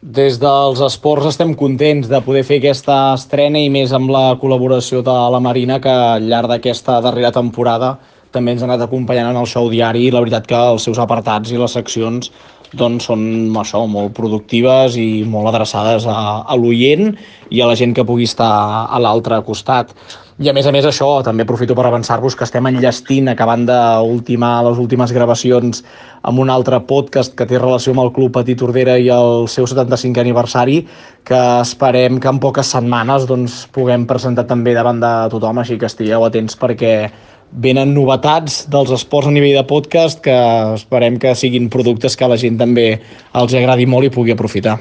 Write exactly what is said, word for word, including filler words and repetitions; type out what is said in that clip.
Des dels esports estem contents de poder fer aquesta estrena i més amb la col·laboració de la Marina, que al llarg d'aquesta darrera temporada també ens ha anat acompanyant en el show diari, i la veritat que els seus apartats i les seccions doncs, són això, molt productives i molt adreçades a, a l'oient i a la gent que pugui estar a l'altre costat. I a més a més això, també aprofito per avançar-vos que estem enllestint, acabant d'ultimar les últimes gravacions amb un altre podcast que té relació amb el Club Petit Tordera i el seu setanta-cinquè aniversari, que esperem que en poques setmanes doncs, puguem presentar també davant de tothom, així que estigueu atents perquè venen novetats dels esports a nivell de podcast que esperem que siguin productes que a la gent també els agradi molt i pugui aprofitar.